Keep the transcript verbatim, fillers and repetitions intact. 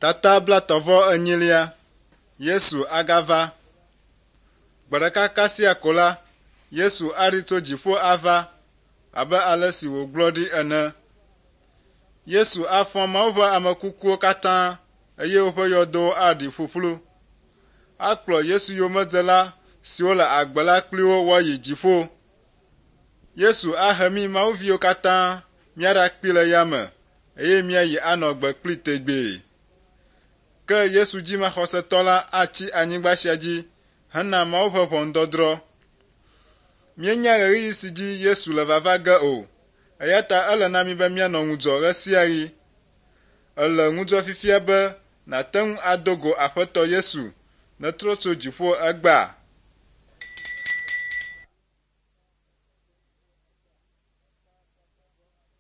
Tata blaetɔ̃ vɔ enyilia, Yesu agava. Gbe ɖeka kasia ko la, Yesu aɖi tso dziƒo ava abe ale si wògblɔ ɖi ene. Yesu afɔ Mawu ƒe ame kukuwo katã eye woƒe yɔdowo aɖi ƒuƒlu. Akplɔ Yesu yomedzela siwo le agbe la kpli wo woayi dziƒo. Yesu ahe mí Mawuviwo katã míaɖakpee le yame eye míayi anɔ gbe kplii tegbee. Ke Yesu dzimaxɔsetɔ la atsi anyigba sia dzi hena Mawu ƒe ʋɔnudɔdrɔ̃. Míenya ɣeyiɣi si dzi Yesu le vava ge o, eya ta ele na mí be míanɔ ŋudzɔ ɣe sia ɣi. Èle ŋudzɔ fifia be nàte ŋu ado go Aƒetɔ Yesu netrɔ tso dziƒo egbea?